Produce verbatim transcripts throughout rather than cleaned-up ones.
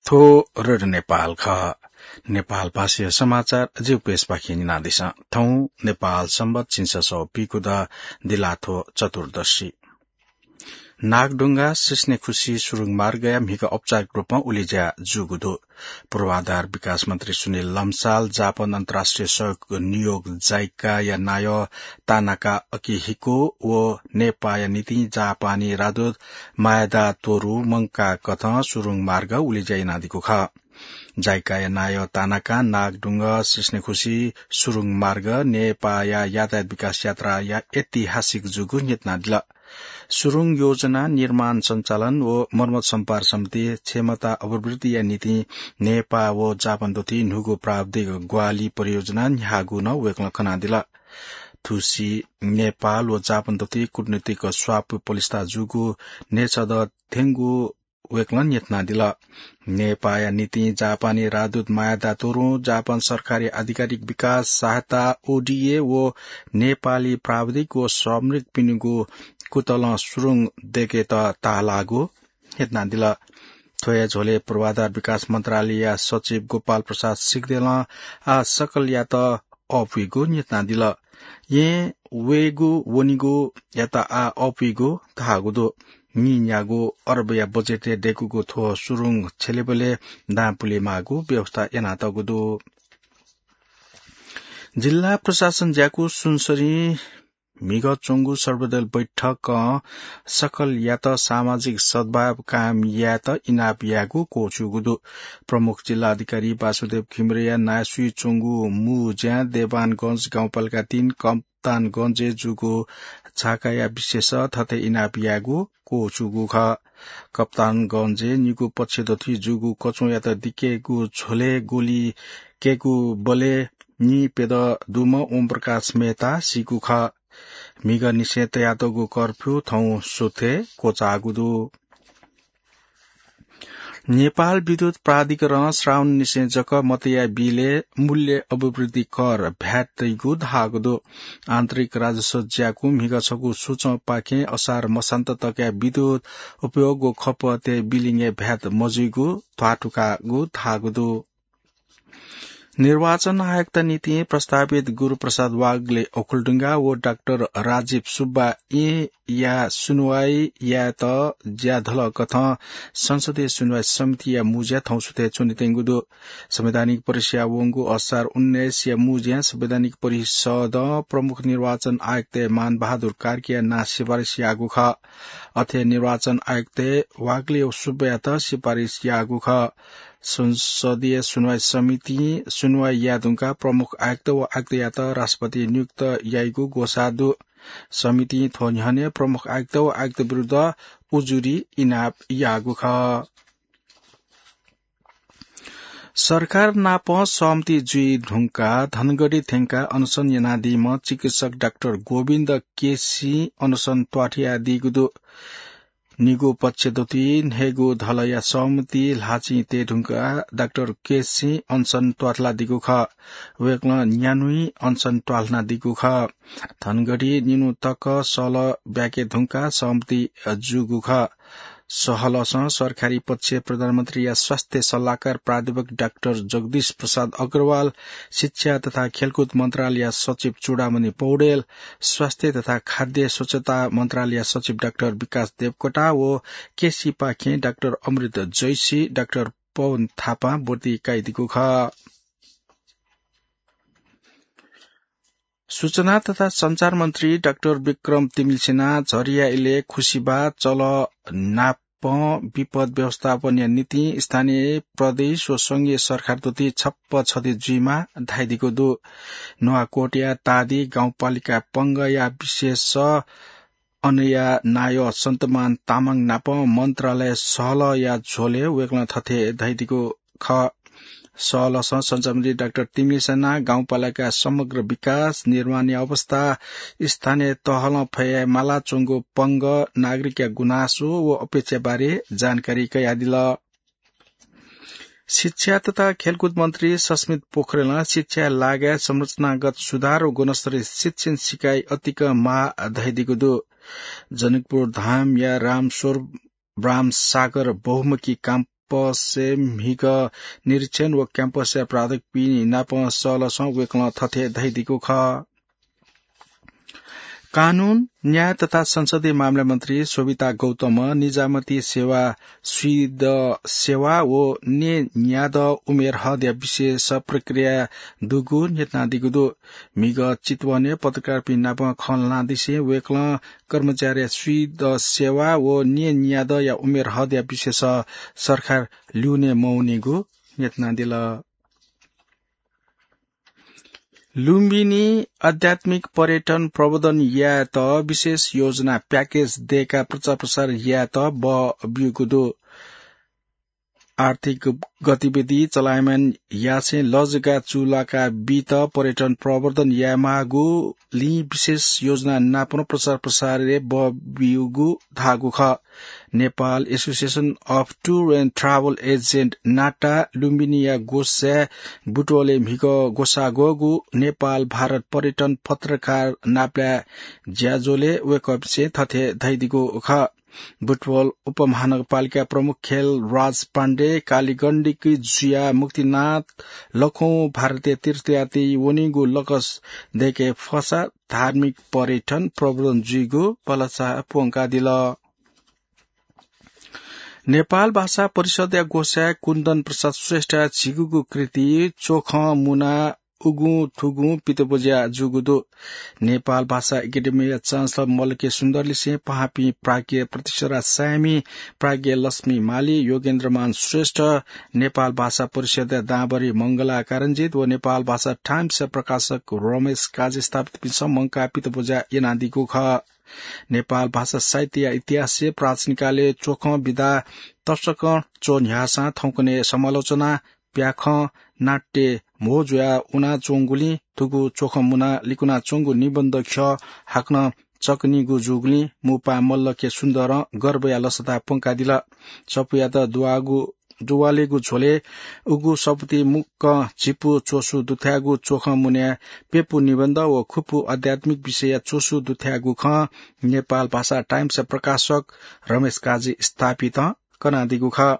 थ्व रेडियो नेपाल खः। नेपाल भाषाया समाचार जिगु पेजपाखें न्यनादिसँ। थौं नेपाल संवत् झिंछसः व पीगू द, दिलाथ्व चतुर्दशी। नागढुङ्गा सिस्नेखुसी सुरुङ मार्गया म्हिगः औपचारिक रूपं उलेज्या जूगु दु। पूर्वाधार विकास मन्त्री सुनिल लम्साल जापान अन्तर्राष्ट्रिय सहयोग नियोग जाइकाया नायः तानाका अकिहिको व नेपाःया निंतिं जापानी राजदूत मायादा तोरु मंकाकथं सुरुङ मार्ग उलेज्या यानादीगु खः। जाइकाया नायः तानाकां नागढुङ्गा सिस्नेखुसी सुरुङ मार्ग नेपाःया यातायात विकास यात्राया ऐतिहासिक जूगु न्ह्यथनादिल। सुरुङ योजना, निर्माण सञ्चालन व मर्मत सम्पार समिति क्षमता अभिवृद्धिया निंतिं नेपाः व जापान दथुइ न्हूगु प्राविधिक ग्वाहालि परियोजना न्ह्याःगु नं वय्कलं कनादिल। थुसी नेपाल व जापान दथुइ कूटनीतिक स्वापू पलिस्था जूगु न्हय्छदँ थ्यंगु वय्कलं न्ह्यथनादिल। नेपाःया निंतिं जापानी राजदूत मायादा तोरुं जापान सरकारी आधिकारिक विकास सहायता, ओडिए, व नेपाली प्राविधिक व श्रमिकपिनिगु कुतलं सुरुङ दय्केत ताःलाःगु न्ह्यथनादिल। थ्व हे झ्वलय् पूर्वाधार विकास मन्त्रालयया सचिव गोपाल प्रसाद सिग्देलं आः सकलयात अःपुइगु न्ह्यथनादिल। येँ वयेगु वनेगुयात आः अःपुइगु धाःगु दु। नीन्यागू अरबया बजेटय् दय्कूगु थ्व सुरुङ छ्यलेबलय् दां पुलेमाःगु व्यवस्था यानातःगु दु। जिल्ला प्रशासन ज्याकू सुनसरीं म्हिगः च्वंगु सर्वदल बैठकं सकलयात सामाजिक सद्भाव कायम यायेत इनाप यायेगु क्वःछूगु दु। प्रमुख जिल्ला अधिकारी वासुदेव घिमिरेया नायःसुइ च्वंगु मू ज्यां देवानगंज गाउँपालिका तीन कप्तानगंजय् जूगु झाकाया विषयस थथे इनाप यायेगु क्वःछूगु खः। कप्तानगंजय् निगू पक्ष दथुइ जूगु कच्वंयात दिकेगु झ्वलय् गोली कय्कूबलय् निप्यदँ दुम्ह ओमप्रकाश मेहता सीगु खः। म्हिगःनिसें तयातःगु कर्फ्यू थौं सुथय् क्वचाःगु दु। नेपाल विद्युत प्राधिकरणं श्रावणनिसें जक मतया बिलय् मूल्य अभिवृद्धि कर, भ्याट तइगु धाःगु दु। आन्तरिक राजस्व ज्याकू म्हिगः छगू सुचंपाखें असार मसान्त तकया विद्युत उपयोग व खपतय् बिलिङय् भ्याट मजुइगु ध्वाथुइकागु धाःगु दु। निर्वाचन आयुक्त निंतिं प्रस्तावित गुरुप्रसाद वाग्ले ओखलढुङ्गा व डाक्टर राजीव सुब्बा येँया सुनुवाइ यायेत ज्याधलकथं संसदीय सुनुवाइ समितिया मू ज्या थौं सुथय् च्वनेत्यंगु दु। संवैधानिक परिषदया वंगु असार उन्नाइसया मू ज्यां संवैधानिक परिषदं प्रमुख निर्वाचन आयुक्त मानबहादुर कार्कीया नां सिफारिस याःगु खः। अथे निर्वाचन आयुक्त वाग्ले व सुब्बायात सिफारिस याःगु खः। संसदीय सुनुवाइ समितिं सुनुवाइ याये धुंकाः प्रमुख आयुक्त व आयुक्तयात राष्ट्रपतिं नियुक्त याइगु ग्वसाः दु। समितिं थ्व न्ह्यःने प्रमुख आयुक्त व आयुक्त विरुद्ध उजुरी इनाप याःगु खः। सरकार नाप सहमति जुइ धुंकाः धनगढी थ्यंकाः अनसन यानादीम्ह चिकित्सक डाक्टर गोविन्द केसीं अनसन त्वाथयादीगु दु। निगू पक्ष दथुइ न्हय्गू धलया सहमति ल्हाःचिं तये धुंकाः डाक्टर केसीं अनसन त्वाथलादीगु खः। वय्कलं न्यान्हुइ अनसन त्वाथनादीगु खः। धनगढी निन्हु तक सहलह ब्याके धुंकाः सहमति जूगु खः। सहलहसं सरकारी पक्षय् प्रधानमन्त्रीया स्वास्थ्य सल्लाहकार प्राध्यापक डाक्टर जगदीश प्रसाद अग्रवाल, शिक्षा तथा खेलकुद मन्त्रालयया सचिव चूडामणि पौडेल, स्वास्थ्य तथा खाद्य स्वच्छता मन्त्रालयया सचिव डाक्टर विकास देवकोटा व केसीपाखें डाक्टर अमृत जैसी, डाक्टर पवन थापां ब्वति कयादीगु खः। सूचना तथा सञ्चार मन्त्री डाक्टर विक्रम तिमिल्सिनां झरिया इलय् खुसिबाः चलः नापं विपद व्यवस्थापनया निंतिं स्थानीय, प्रदेश व संघीय सरकार दथुइ छप्पँ छधी जुइमाः धाइदीगु दु। नुवाकोटया तादी गाउँपालिका पंगया विशेष अनया नायः सन्तमान तामाङ नाप मन्त्रालय सहलहया झ्वलय् वय्कलं थथे धयादीगु खः। सहलहसं सञ्चारमन्त्री डाक्टर तिमिल्सिनां गाउँपालिका समग्र विकास, निर्माणया अवस्था, स्थानीय तहलं फयाये मालाच्वंगु पंग, नागरिकया गुनासो व अपेक्षाबारे जानकारी कयादिल। शिक्षा तथा खेलकुद मन्त्री सस्मित पोखरेलं शिक्षाया लागाय् संरचनागत सुधार व गुणस्तरीय शिक्षण सिकाइ अतिकं माः धयादीगु दु। जनकपुर धामया रामस्वरूप रामसागर बहुमुखी काम क्याम्पसय् म्हिगः निरीक्षण व क्याम्पसया प्राध्यापकपिं नाप सलसं वय्कलं थथे धयादीगु खः। कानून, न्याय तथा संसदीय मामला मन्त्री शोभिता गौतमं निजामती सेवा, स्वीद सेवा व न्येन्यादँ उमेर हदया विशेष प्रक्रिया दुगु न्ह्यथनादीगु दु। म्हिगः चितवनय् पत्रकारपिं नाप खँ ल्हानादिसें वय्कलं कर्मचारीया स्वीद सेवा व न्येन्यादँया उमेर हदया विशेष सरकार ल्यूने मवनीगु न्ह्यथनादिल। लुम्बिनी आध्यात्मिक पर्यटन प्रवर्धन यायेत विशेष योजना प्याकेज दय्काः प्रचार प्रसार यायेत बः ब्यूगु दु। आर्थिक गतिविधि चलायमान यासें लजगाः चूलाका बीत पर्यटन प्रवर्धन यायेमाःगुलिं विशेष योजना नापं प्रचार प्रसारय् बः ब्यूगु धाःगु खः। Nepal Association of Tour and Travel Agent, नाटा, लुम्बिनीया ग्वसाय् बुटवलय् म्हिगः ग्वसाः ग्वःगु नेपाल भारत पर्यटन पत्रकार नापलाये ज्याझ्वलय् वय्कःपिन्सं थथे धयादीगु खः। बुटवल उपमहानगरपालिका प्रमुख खेलराज पाण्डे कालीगण्डकी जुयाः मुक्तिनाथ लखौं भारतीय तीर्थयात्री वनीगु लकस दय्के फसा धार्मिक पर्यटन प्रवर्धन जुइगु भलसा प्वंकादिल। नेपाल भाषा परिषदया ग्वसाय् कुन्दन प्रसाद श्रेष्ठया झिगूगु कृति च्वखं मुना उगुं थुगुं पितब्वज्या जूगु दु। नेपाल भाषा एकेडेमीया चान्सलर मल्लके सुन्दरलिसें पाहांपिं प्राज्ञ प्रतिसरा साय्मी, प्राज्ञ लक्ष्मी माली, योगेन्द्रमान श्रेष्ठ, नेपाल भाषा परिषदया दांभरि मंगला कारणजित व नेपाल भाषा टाइम्सया प्रकाशक रमेश काजी स्थापितपिन्सं मंकाः पितब्वज्या यानादीगु खः। नेपाल भाषा साहित्यया इतिहासय् प्राचीनकालय् च्वखं विधा तसकं च्वन्ह्याःसां थौंकन्हय् समालोचना, प्याखं, नाट्य म्हो जुयाः वनाच्वंगुलिं थुगु च्वखं मुनाः लिकुनाच्वंगु निबन्ध ख्यः हाकनं चकनीगु जूगुलिं मुपाहां मल्लके सुन्दरं गर्वया लसता प्वंकादिल। सफूयात दुवाःगु दुवालेगु झ्वलय् उगु सफुती मुक्कं झिपु च्वसु दुथ्याःगु च्वखं मुनाय् प्यपु निबन्ध व खुपु आध्यात्मिक विषयया च्वसु दुथ्याःगु खँ नेपाल भाषा टाइम्सया प्रकाशक रमेश काजी स्थापितं कनादीगु खः।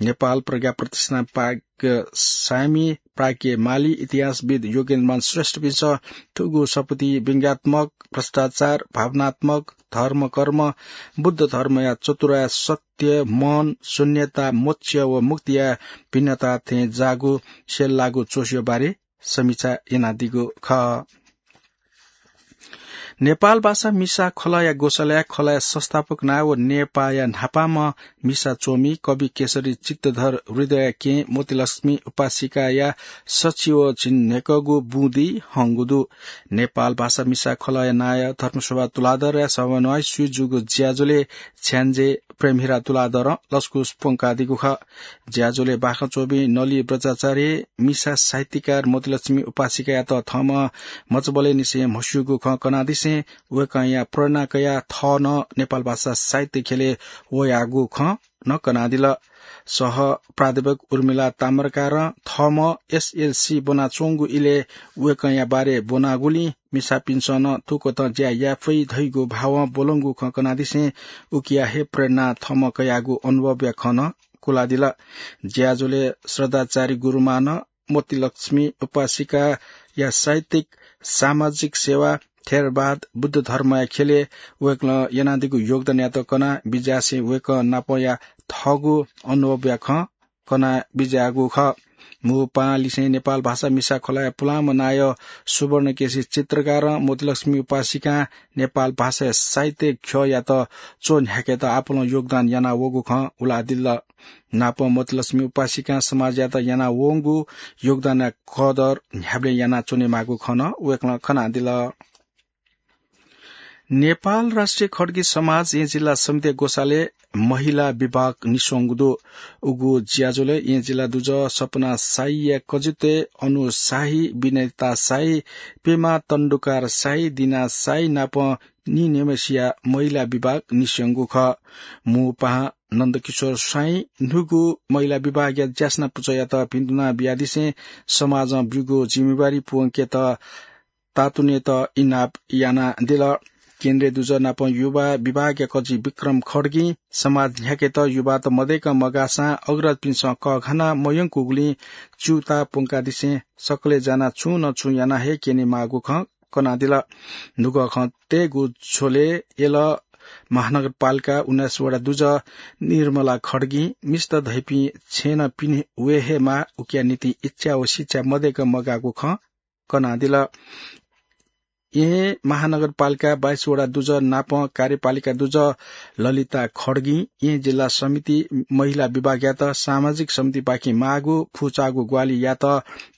नेपाल प्रज्ञा प्रतिष्ठान प्राज्ञ साय्मी, प्राज्ञ माली, इतिहासविद् योगेन्द्रमान श्रेष्ठपिन्सं थुगु सफुती व्यंग्यात्मक, भ्रष्टाचार, भावनात्मक, धर्म, कर्म, बुद्ध धर्मया चतुराय् सत्य, मौन, शून्यता, मोक्ष व मुक्तिया भिन्नता थें जाःगु स्यल्लाःगु च्वसुया बारे समीक्षा यानादीगु खः। नेपाल भाषा मिसा खलःया ग्वसालय् खलःया संस्थापक नायः व नेपाःया न्हापांम्ह मिसा च्वमि कवि केशरी चित्तधर हृदयया केहेँ मोतीलक्ष्मी उपासिकाया सच्छि व झिंन्हय्कःगु बुँदि हंगु दु। नेपाल भाषा मिसा खलःया नायः धर्मशोभा तुलाधरया समन्वयय् सुरु जूगु ज्याझ्वलय् छ्याञ्जे प्रेमहिरा तुलाधरं लसकुस प्वंकादीगु खः। ज्याझ्वलय् बाखं च्वमि नली बज्राचार्यं मिसा साहित्यकार मोतीलक्ष्मी उपासिकायात थःम्हं मचाबलय्‌निसें म्हस्यूगु खँ कनादिसें वय्‌कःया प्रेरणा कयाः थः नं नेपाल भाषा साहित्य ख्यलय् वयागु खँ नं कनादिल। सह प्राध्यापक उर्मिला ताम्राकारं थःम्हं एसएलसी ब्वनाच्वंगु इलय् वय्‌कःया बारे ब्वनागुलिं मिसापिन्सं नं थुकथं ज्या याये फइ धइगु भावं ब्वलंगु खँ कनादिसें उकिया हे प्रेरणा थःम्हं कयागु अनुभवया खँ नं कुलादिल। ज्याझ्वलय् श्रद्धाचारी गुरुमांनं मोतीलक्ष्मी उपासिकाया साहित्यिक, सामाजिक सेवा, थेरवाद, बुद्ध धर्मया ख्यलय् वय्‌कलं यानादीगु योगदानयात कनाः बिज्यासें वय्‌कः नापया थःगु अनुभवया खँ कना बिज्याःगु खः। मुपाहां लिसें नेपाल भाषा मिसा खलःया पुलांम्ह नायः सुवर्णकेशी चित्रकारं मोतीलक्ष्मी उपासिकां नेपाल भाषाया साहित्य ख्यःयात च्वन्ह्याकेत आपालं योगदान यानावःगु खँ उलादिल। नापं मोतीलक्ष्मी उपासिकां समाजयात यानावंगु योगदानया कदर न्ह्याबलें यानाच्वनेमाःगु खँ नं वय्‌कलं कनादिल। नेपाल राष्ट्रिय खड्गी समाज येँ जिल्ला समितिया ग्वसालय् महिला विभाग निस्वंगु दु। उगु ज्याझ्वलय् येँ जिल्ला दुजः सपना साहीया कजितय् अनु साही, विनेता साही, पेमा तण्डुकार साही, दिना साही नाप निनेम्हसिया महिला विभाग निस्यंगु खः। मुपाहां नन्दकिशोर स्वाइं न्हूगु महिला विभागया ज्यासना पुचःयात भिन्तुना बियादिसें समाजं ब्यूगु जिम्मेवारी पूवंकेत तातुनेत इनाप यानादिल। केन्द्रीय दुजः नाप युवा विभागया कजि विक्रम खड्गीं समाज न्ह्याकेत युवात मदय्क मगाःसां अग्रजपिन्सं कःघाना मयंकूगुलिं च्यूताः प्वंकादिसें सकलें जानाः छुं न छुं याना हे क्यनेमाःगु खँ कनादिल। नुगः खँ तयेगु झ्वलय् यल महानगरपालिका उन्नाइस वडा दुजः निर्मला खड्गीं मिस्त धइपिं छेँनं पिने वये हे माः, उकिया निंतिं इच्छा व शिक्षा मदय्क मगाःगु खँ कनादिल। येँ महानगरपालिका बाइस वडा दुजः नाप कार्यपालिका दुजः ललिता खड्गीं येँ जिल्ला समिति महिला विभागयात सामाजिक समितिपाखें माःगु फुचाःगु ग्वाहालि यात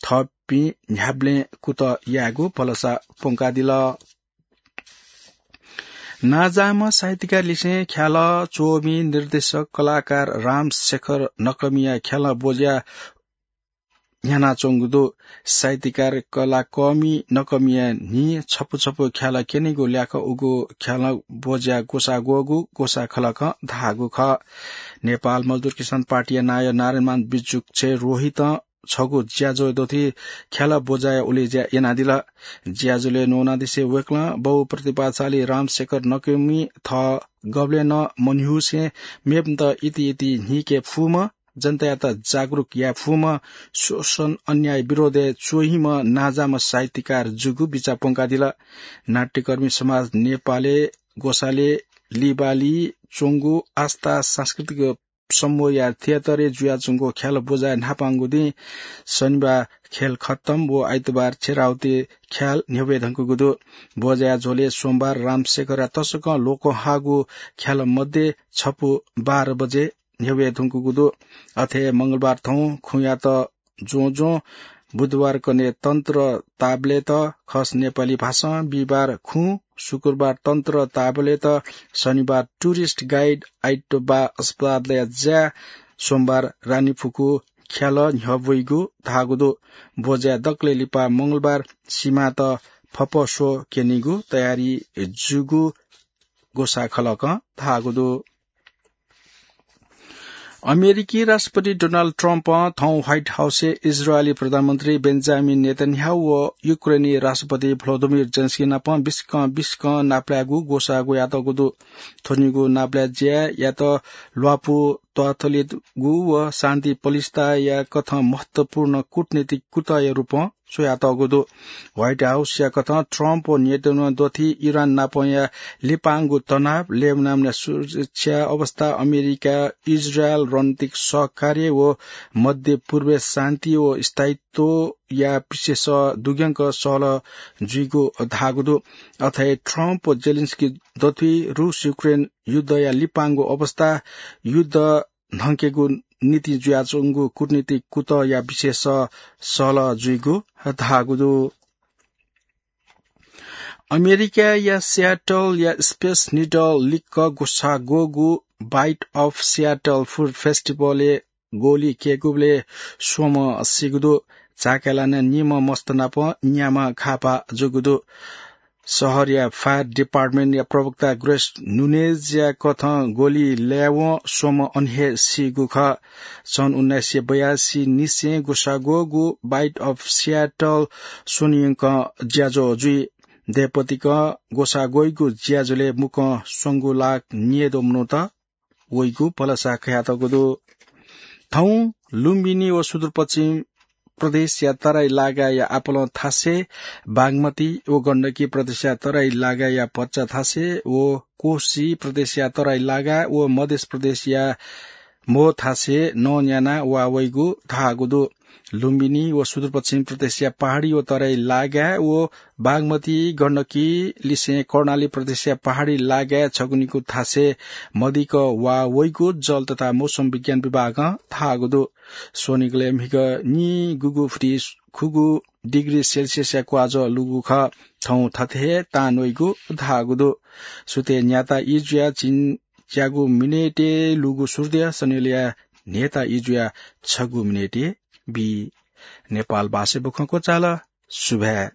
थःपिं न्ह्याबलें कुतः यायेगु भलसा प्वंकादिल। नांजाःम्ह साहित्यकार लिसें ख्यालः च्वमि निर्देशक कलाकार रामशेखर नकःमिया ख्यालः ब्वज्या न्ह्यानाच्वंगु दु। साहित्यकार कलाकःमि नकःमिया न्हि छपु छपु ख्यालः क्यनेगु ल्याखं उगु ख्यालः ब्वज्या ग्वसाः ग्वःगु ग्वसाः खलकं धाःगु खः। नेपाल मजदुर किसान पार्टीया नायः नारायणमान बिजुक्छे रोहितं छगू ज्याझ्वः दथुइ ख्यालः ब्वज्याया उलेज्या यानादिल। ज्याझ्वलय् न्वनादिसे वय्कलं बहुप्रतिभाशाली रामशेखर नकःमि थः गबलें नं मन्ह्यूसें मेपिन्त इति इति न्हीके फुम्ह, जनतायात जागरुक याये फुम्ह, शोषण अन्याय विरोधय् च्वहिम्ह नांजाःम्ह साहित्यकार जूगु बिचाः प्वंकादिल। नाट्यकर्मी समाज नेपालय् ग्वसालय् लिबाली च्वंगु आस्था सांस्कृतिक समूहया थिएटरय् जुयाच्वंगु ख्यालः ब्वज्याया न्हापांगु दिं शनिबार खेल खत्तम व आइतबार छेराउति ख्याल न्ह्यब्वये धुंकूगु दु। ब्वज्याया झ्वलय् सोमबार रामशेखरया तसकं लोकंह्वाःगु ख्यालः मध्ये छपु बाह्र बजे न्ह्यब्वये धुंकूगु दु। अथे हे मंगलबार थौं खुँयात ज्वँज्वँ, बुधबार कने तन्त्र ताबलेत खस नेपाली भाषां, बिहिबार खुँ, शुक्रबार तन्त्र ताबलेत, शनिबार टुरिस्ट गाइड, आइतबार अस्पतालया ज्या, सोमबार रानीफुकु ख्यालः न्ह्यब्वइगु धाःगु दु। ब्वज्या दकलय् लिपा मंगलबार सिमात फपस्व क्यनीगु तयारी जूगु ग्वसाः खलकं धाःगु दु। अमेरिकी राष्ट्रपति डोनाल्ड ट्रम्पं थौं व्हाइट हाउसय् इजरायली प्रधानमन्त्री बेन्जामिन नेतन्याहु व युक्रेनी राष्ट्रपति भ्लोदिमिर जेलेन्स्की नाप बिस्कं बिस्कं नापलायेगु ग्वसाः ग्वयातःगु दु। थ्वनिगु नापलाये ज्यायात ल्वापु त्वाथलेगु व शान्ति पलिस्ताया कथं महत्वपूर्ण कूटनीतिक कुतःया रूपं स्वयातःगु दु। व्हाइट हाउसया कथं ट्रम्प व नेतन्याहु दथुइ इरान नापंया लिपांगु तनाव, लेबनानया सुरक्षा अवस्था, अमेरिका इजरायल रणनीतिक सहकार्य व मध्य पूर्वय् शान्ति व स्थायित्वया विषयस दुग्यंक सहलह जुइगु धाःगु दु। अथे हे ट्रम्प व जेलेन्स्की दथुइ रूस युक्रेन युद्धया लिपांगु अवस्था, युद्ध न्हंकेगु निंतिं जुयाच्वंगु कूटनीतिक कुतःया विषयस सहलह जुइगु धाःगु दु। अमेरिकाया सियाटलया स्पेस निडल लिक्क ग्वसाः ग्वःगु बाइट अफ सियाटल फुड फेस्टिभलय् गोली क्यय्कूबलय् स्वम्ह सीगु दु। झाकाय् लानाः निम्ह मस्त नाप न्याम्ह घाःपाः जूगु दु। शहरया फायर डिपार्टमेन्टया प्रवक्ता ग्रेस नुनेजया कथं गोली लायेवं स्वम्ह अन हे सीगु खः। सन् उन्नाइस सय बयासी निसें ग्वसाः ग्वःगु बाइट अफ सियाटल स्वन्हुयंकं ज्याझ्वः जुइ। दँय्‌पतिकं ग्वसाः ग्वइगु ज्याझ्वलय् मुक्कं स्वंगू लाख न्यय्‌द्वः मनूत वइगु भलसा कयातःगु दु। थौं लुम्बिनी व सुदूरपश्चिम प्रदेशया तराई लागाया आपालं थासय्, बागमती व गण्डकी प्रदेशया तराई लागाया भचा थासय् व कोशी प्रदेशया तराई लागा व मध्य प्रदेशया म्हो थासय् नं न्यानाः वा वइगु धाःगु दु। लुम्बिनी व सुदूरपश्चिम प्रदेशया पहाडी व तराई लागा व बागमती गण्डकी लिसें कर्णाली प्रदेशया पहाडी लागाय् छगू निगू थासय् मदिक्क वा वइगु जल तथा मौसम विज्ञान विभागं धाःगु दु। स्वनिगलय् म्हिगः निगूगु फुति खुगू डिग्री सेल्सियसया क्वाजः लूगु खः। थौं थथे हे तां वइगु धाःगु दु। सुथय् न्याता ई जुयाः झिंच्यागू मिनेटय् लूगु सूर्य सनिलया न्हय्‌ता ई जुयाः छगू मिनेटय् बी। नेपाल भाषाय् बुखँ क्वचाल। सुभाय्।